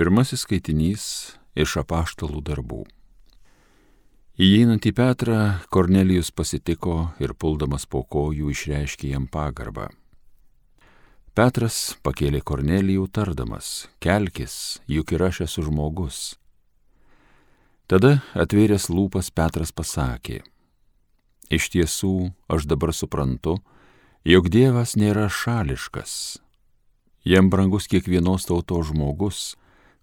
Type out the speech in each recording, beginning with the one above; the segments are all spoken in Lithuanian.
Pirmasis skaitinys iš apaštalų darbų. Įeinant į Petrą, Kornelijus pasitiko ir puldamas po kojų išreiškė jam pagarbą. Petras pakėlė Kornelijų tardamas: kelkis, juk ir aš esu žmogus. Tada atvėręs lūpas Petras pasakė: iš tiesų, aš dabar suprantu, jog Dievas nėra šališkas. Jam brangus kiekvienos tautos žmogus,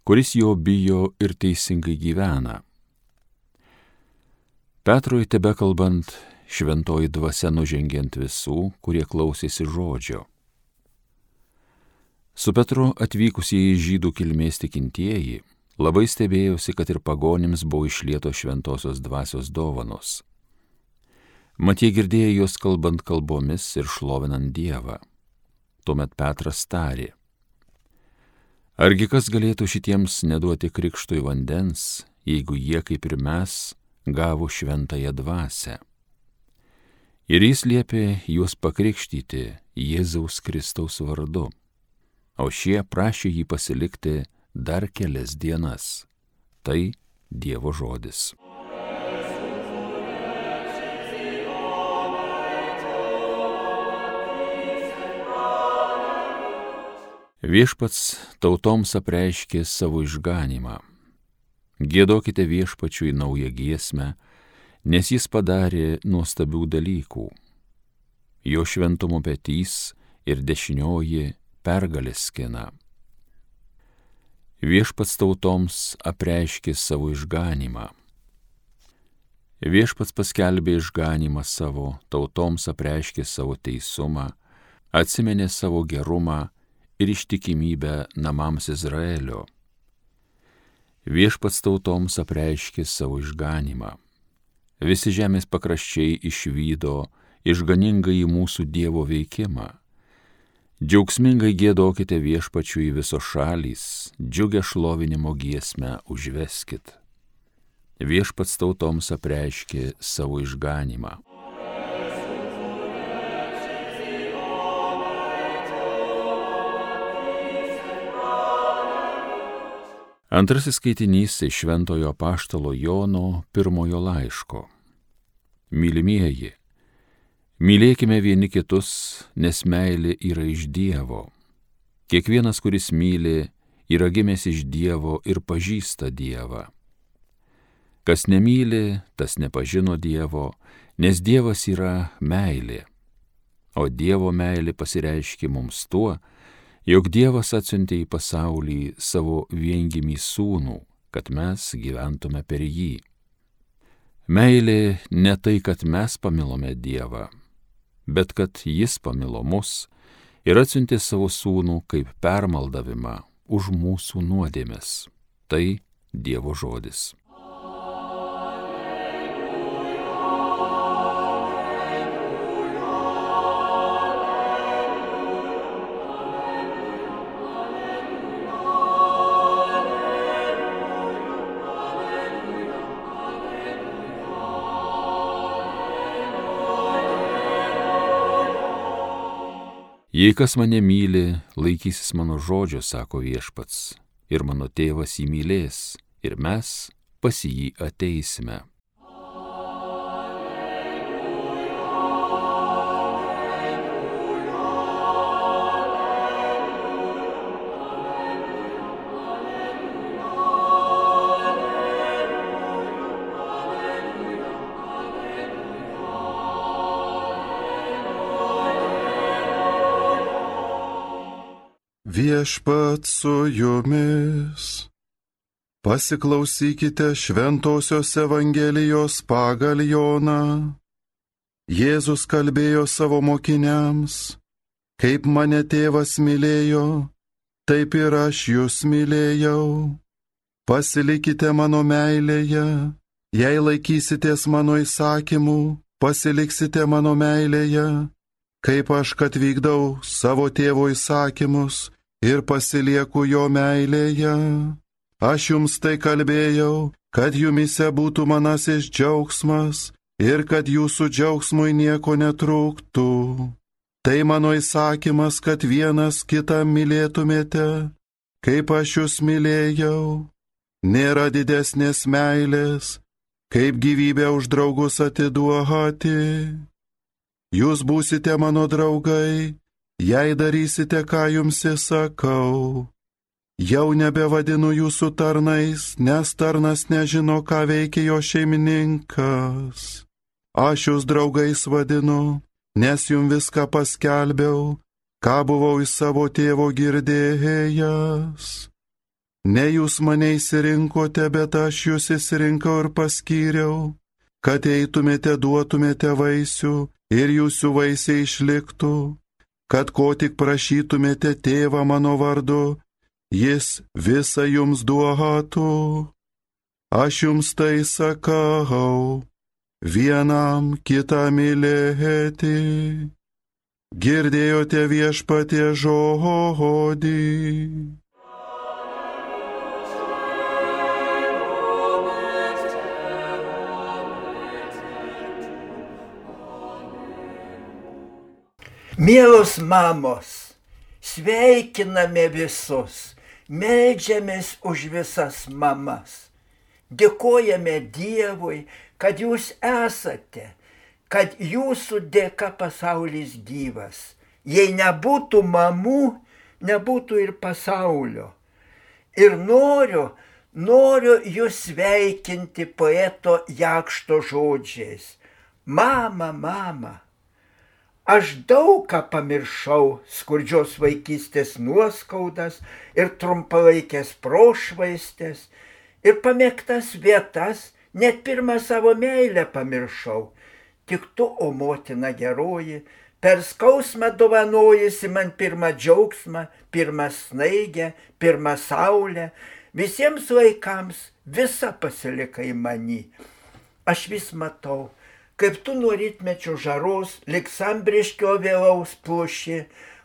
kuris jo bijo ir teisingai gyvena. Petrui tebekalbant, šventoji dvasia nužengė ant visų, kurie klausėsi žodžio. Su Petru atvykusieji žydų kilmės tikintieji labai stebėjosi, kad ir pagonims buvo išlietos šventosios dvasios dovanos. Mat jie girdėjo juos kalbant kalbomis ir šlovinant Dievą. Tuomet Petras tarė: argi kas galėtų šitiems neduoti krikštui vandens, jeigu jie, kaip ir mes, gavo šventąją dvasią? Ir jis liepė juos pakrikštyti Jėzaus Kristaus vardu, o šie prašė jį pasilikti dar kelias dienas. Tai Dievo žodis. Viešpats tautoms apreiškė savo išganymą. Giedokite Viešpačiui naują giesmę, nes jis padarė nuostabių dalykų. Jo šventumo petys ir dešinioji pergalės skina. Viešpats tautoms apreiškė savo išganymą. Viešpats paskelbė išganymą savo, tautoms apreiškė savo teisumą, atsiminė savo gerumą ir ištikimybę namams Izraelio. Viešpats tautoms apreiškė savo išganymą. Visi žemės pakraščiai išvydo išganingąjį mūsų Dievo veikimą. Džiaugsmingai giedokite Viešpačiui visos šalys, džiugią šlovinimo giesmę užveskit. Viešpats tautoms apreiškė savo išganymą. Antrasis skaitinys iš šventojo apaštalo Jono pirmojo laiško. Mylimieji, mylėkime vieni kitus, nes meilė yra iš Dievo. Kiekvienas, kuris myli, yra gimęs iš Dievo ir pažįsta Dievą. Kas nemyli, tas nepažino Dievo, nes Dievas yra meilė. O Dievo meilė pasireiškė mums tuo, jog Dievas atsiuntė į pasaulį savo viengimį sūnų, kad mes gyventume per jį. Meilė ne tai, kad mes pamilome Dievą, bet kad jis pamilo mus ir atsiuntė savo sūnų kaip permaldavimą už mūsų nuodėmes. Tai Dievo žodis. Jei kas mane myli, laikysis mano žodžio, sako Viešpats, ir mano tėvas jį mylės, ir mes pas jį ateisime. Viešpats su jumis. Pasiklausykite šventosios Evangelijos pagal Joną. Jėzus kalbėjo savo mokiniams: kaip mane tėvas mylėjo, taip ir aš jūs mylėjau. Pasilikite mano meilėje, jei laikysitės mano įsakymų, pasiliksite mano meilėje, kaip aš, kad vykdau savo tėvo įsakymus ir pasilieku jo meilėje. Aš jums tai kalbėjau, kad jumise būtų manasis džiaugsmas ir kad jūsų džiaugsmui nieko netrūktų. Tai mano įsakymas, kad vienas kitą mylėtumėte, kaip aš jūs mylėjau. Nėra didesnės meilės, kaip gyvybę už draugus atiduoti. Jūs būsite mano draugai, jei darysite, ką jums įsakau. Jau nebevadinu jūsų tarnais, nes tarnas nežino, ką veikia jo šeimininkas. Aš jūs draugais vadinu, nes jums viską paskelbiau, ką buvau iš savo tėvo girdėjęs. Ne jūs mane išsirinkote, bet aš jūs išsirinkau ir paskyriau, kad eitumėte, duotumėte vaisių ir jūsų vaisiai išliktų, kad ko tik prašytumėte tėvą mano vardu, jis visą jums duotų. Aš jums tai sakau, vienam kitą mylėti. Girdėjote viešpatie žodį. Mielos mamos, sveikiname visus, meldžiamės už visas mamas. Dėkojame Dievui, kad jūs esate, kad jūsų dėka pasaulis gyvas. Jei nebūtų mamų, nebūtų ir pasaulio. Ir noriu jūs sveikinti poeto Jakšto žodžiais. Mama, mama. Aš daug ką pamiršau, skurdžios vaikystės nuoskaudas ir trumpalaikės prošvaistės, ir pamėgtas vietas, net pirmą savo meilę pamiršau. Tik tu, o motina geroji, per skausmą dovanojusi man pirmą džiaugsmą, pirmą snaigę, pirmą saulę, visiems laikams visą pasilikai many. Aš vis matau, kaip tu nuo rytmečio žaros, lik sambriškio vėlaus pluši,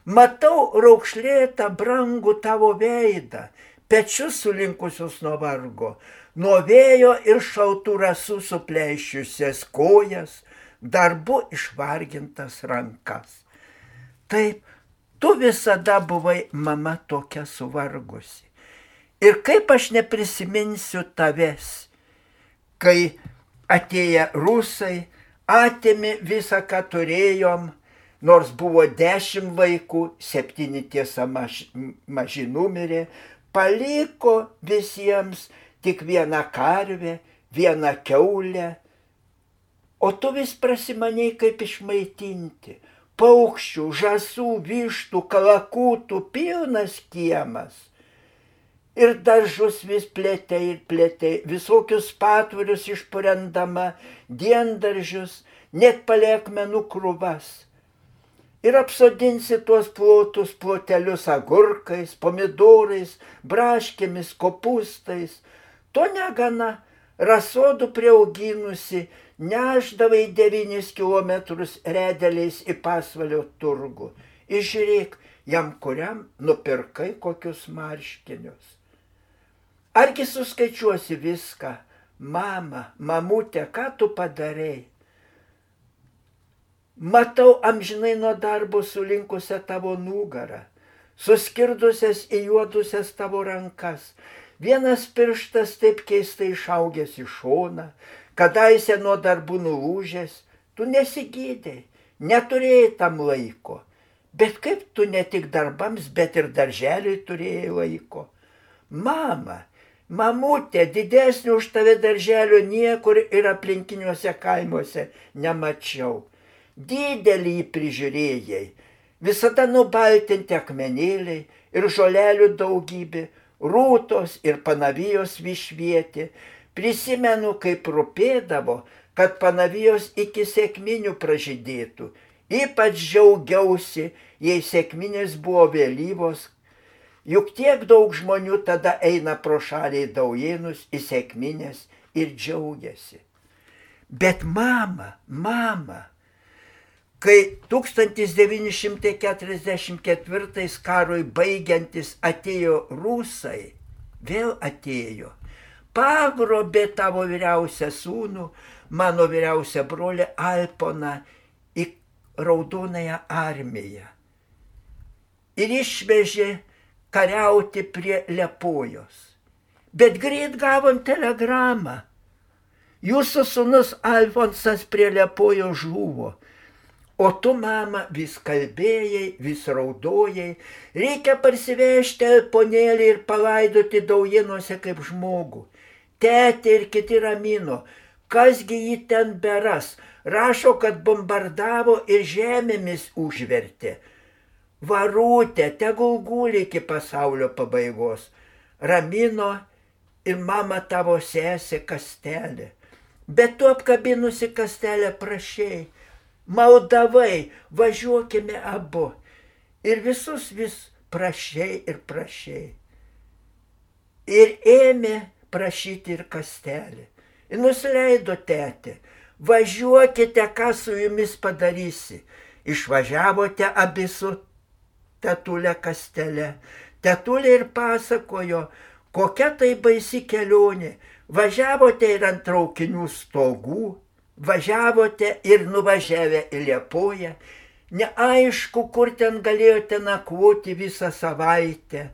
matau raukšlėtą brangų tavo veidą, pečius sulinkusius nuo vargo, nuo vėjo ir šaltų rasų supleišiusias kojas, darbu išvargintas rankas. Taip, tu visada buvai mama tokia suvargusi. Ir kaip aš neprisiminsiu tavęs, kai atėję rusai, atėmė visą, ką turėjom, nors buvo 10 vaikų, 7 tiesa maži numirė, paliko visiems tik vieną karvę, vieną kiaulę, o tu vis prasimaniai kaip išmaitinti. Paukščių, žąsų, vištų, kalakūtų pilnas kiemas. Ir daržus vis plėtei ir plėtei, visokius patvirius išpurendama, diendaržius, net palekmenų krūvas. Ir apsodinsi tuos plotus plotelius agurkais, pomidorais, braškėmis, kopūstais. To negana, rasodų priauginusi, nešdavai 9 kilometrus redeliais į Pasvalio turgų. Ir žiūrėk, jam kuriam nupirkai kokius marškinius. Argi suskaičiuosi viską, mama, mamutė, ką tu padarei? Matau amžinai nuo darbo sulinkusią tavo nugarą, suskirdusias į juodusias tavo rankas, vienas pirštas taip keistai išaugęs į šoną, kadaise nuo darbų nulūžęs, tu nesigydei, neturėjai tam laiko, bet kaip tu ne tik darbams, bet ir darželiui turėjai laiko. Mama, mamutė, didesnio už tave darželio niekur ir aplinkiniuose kaimuose nemačiau. Didelį prižiūrėjai, visada nubaltinti akmenėliai ir žolelių daugybė, rūtos ir panavijos višvietė. Prisimenu, kaip rūpėdavo, kad panavijos iki sekminių pražydėtų. Ypač džiaugiausi, jei sekminės buvo vėlyvos, juk tiek daug žmonių tada eina pro šaliai Daujėnus į sekminės ir džiaugiasi. Bet mama, kai 1944 karui baigiantis atėjo rusai, vėl atėjo, pagrobė tavo vyriausią sūnų, mano vyriausią brolį Alponą į Raudonąją armiją. Ir išvežė kariauti prie Liepojos. Bet greit gavom telegramą. Jūsų sūnus Alfonsas prie Liepojos žuvo. O tu, mama, vis kalbėjai, vis raudojai. Reikia parsivežti Alponėlį ir palaidoti Daujinuose kaip žmogų. Tetė ir kiti ramino. Kasgi jį ten beras? Rašo, kad bombardavo ir žemėmis užvertė. Varūtė, tegul guli iki pasaulio pabaigos. Ramino ir mama tavo sesė Kastelė. Bet tu apkabinusi Kastelę prašei. Maldavai, važiuokime abu. Ir visus vis prašei ir prašei. Ir ėmė prašyti ir Kastelė. Ir nusileido tetė. Važiuokite, ką su jumis padarysi. Išvažiavote abi su tetulė Kastelė. Tetulė ir pasakojo, kokia tai baisi kelionė. Važiavote ir ant traukinių stogų. Važiavote ir nuvažiavę į Liepoją, neaišku, kur ten galėjote nakvoti visą savaitę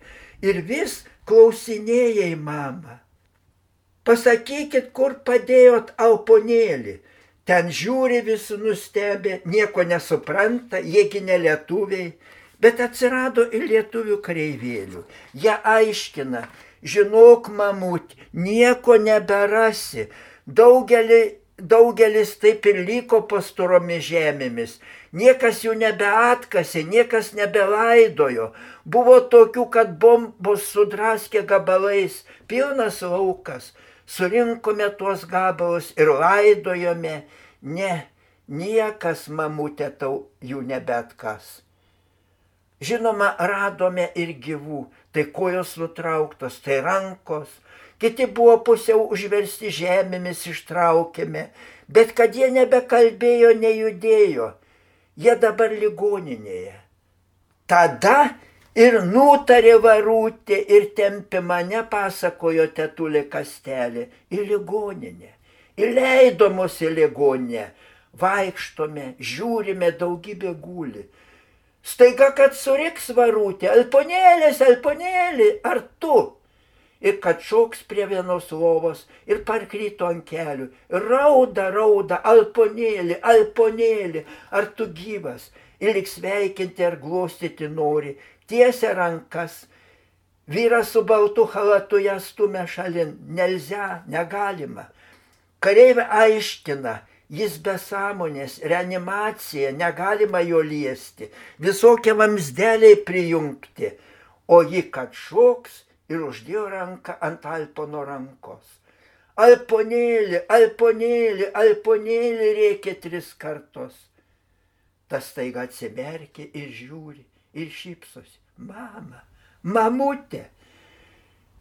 ir vis klausinėjai mamą. Pasakykit, kur padėjot Alponėlį. Ten žiūri visi nustebę, nieko nesupranta, jiegi ne lietuviai, bet atsirado ir lietuvių kareivėlių. Jie aiškina, žinok, mamut, nieko neberasi, Daugelis taip ir liko pastoromis žemėmis. Niekas jų nebeatkasė, niekas nebelaidojo. Buvo tokių, kad bombos sudraskė gabalais, pilnas laukas. Surinkome tuos gabalus ir laidojome. Ne, niekas, mamutė, tau jų nebeatkas. Žinoma, radome ir gyvų, tai kojos nutrauktos, tai rankos. Kiti buvo pusiau užversti žemėmis ištraukėme, bet kad jie nebekalbėjo, nejudėjo. Jie dabar ligoninėje. Tada ir nutarė Varūtė ir tempė mane, pasakojo tetulė Kastelė, į ligoninę. Įleido mus į ligoninę. Vaikštome, žiūrime, daugybė guli. Staiga, kad suriks Varūtė, Alponėlis, Alponėli, ar tu? Ir kad šoks prie vienos lovos ir parkrito ant kelių. Rauda, Alponėli, Alponėli, ar tu gyvas? Ir lyg sveikinti ar glostyti nori, tiesia rankas. Vyras su baltu chalatu ją stumia šalin, nelzia, negalima. Kareivė aiškina, jis be sąmonės, reanimacija, negalima jo liesti, visokie vamzdeliai prijungti, o ji kad šoks, ir uždėjo ranką ant Alpono rankos. Alponėli, Alponėli, Alponėli, rėkė 3 kartus. Tas staiga atsimerkė ir žiūri, ir šypsosi. Mama, mamutė.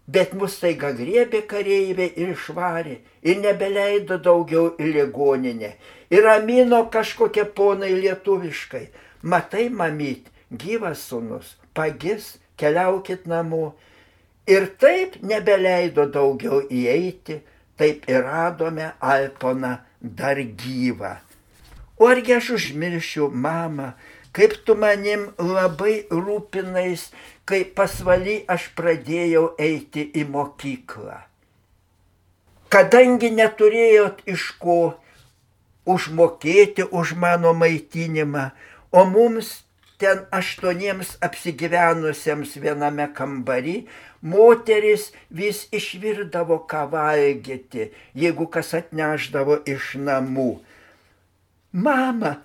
Bet mus staiga griebė kareivė ir išvarė, ir nebeleido daugiau į ligoninę. Ir ramino kažkokie ponai lietuviškai. Matai, mamyt, gyvas sūnus, pagis, keliaukit namo. Ir taip nebeleido daugiau įeiti, taip ir radome Alponą dar gyvą. O argi aš užmiršiu, mama, kaip tu manim labai rūpinais, kai pasvaly aš pradėjau eiti į mokyklą. Kadangi neturėjot iš ko užmokėti už mano maitinimą, o mums ten 8 apsigyvenusiems viename kambary, moteris vis išvirdavo ką valgyti, jeigu kas atneždavo iš namų. Mama,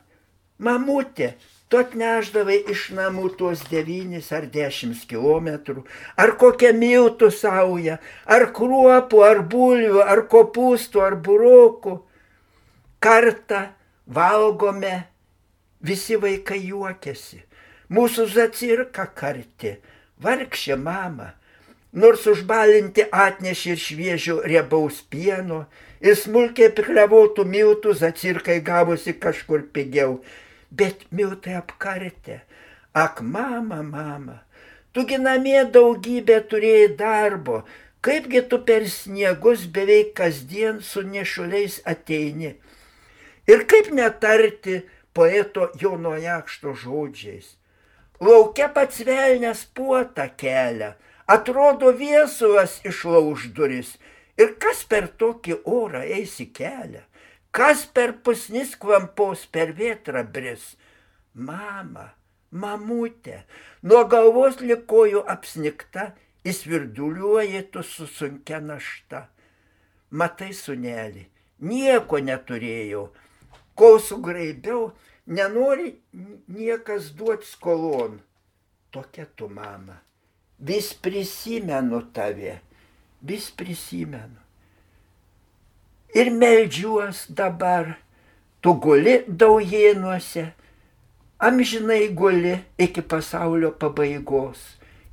mamutė, tu atneždavai iš namų tuos 9 ar 10 kilometrų, ar kokią miltų saują, ar kruopų, ar bulvių, ar kopūstų, ar burokų. Kartą valgome, visi vaikai juokėsi. Mūsų Zacirka karti, vargšė mama. Nors užbalinti atnešė ir šviežio riebaus pieno, ir smulkiai piklevotų miltų Zacirkai gavosi kažkur pigiau. Bet miltai apkartė. Ak, mama, mama, tugi namie daugybė turėjai darbo, kaipgi tu per sniegus beveik kasdien su nešuliais ateini. Ir kaip netarti poeto Jono Jakšto žodžiais. Lauke pats velnias puotą kelia, atrodo viesulas išlauž duris. Ir kas per tokį orą eis į kelią? Kas per pusnis klampos per vėtrą bris? Mama, mamutė, nuo galvos lig kojų apsnigta, įsvirduliuoji tu su sunkia našta. Matai, sūneli, nieko neturėjau, kol sugraibiau, nenori niekas duoti skolon. Tokia tu, mama, vis prisimenu tave, vis prisimenu. Ir meldžiuos dabar, tu guli Daujėnuose, amžinai guli iki pasaulio pabaigos.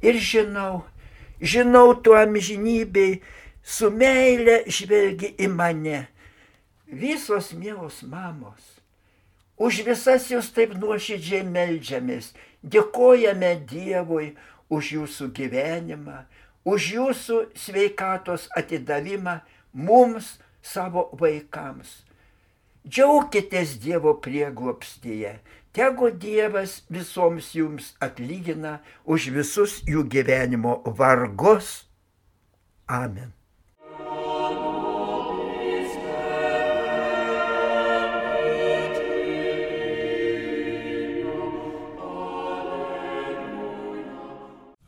Ir žinau tu amžinybei, su meile žvelgi į mane. Visos mielos mamos, už visas jūs taip nuoširdžiai meldžiamės, dėkojame Dievui už jūsų gyvenimą, už jūsų sveikatos atidavimą mums, savo vaikams. Džiaukitės Dievo prieglobstyje, tegu Dievas visoms jums atlygina už visus jų gyvenimo vargus. Amen.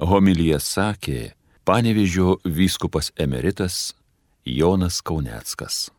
Homiliją sakė Panevėžio vyskupas emeritas Jonas Kauneckas.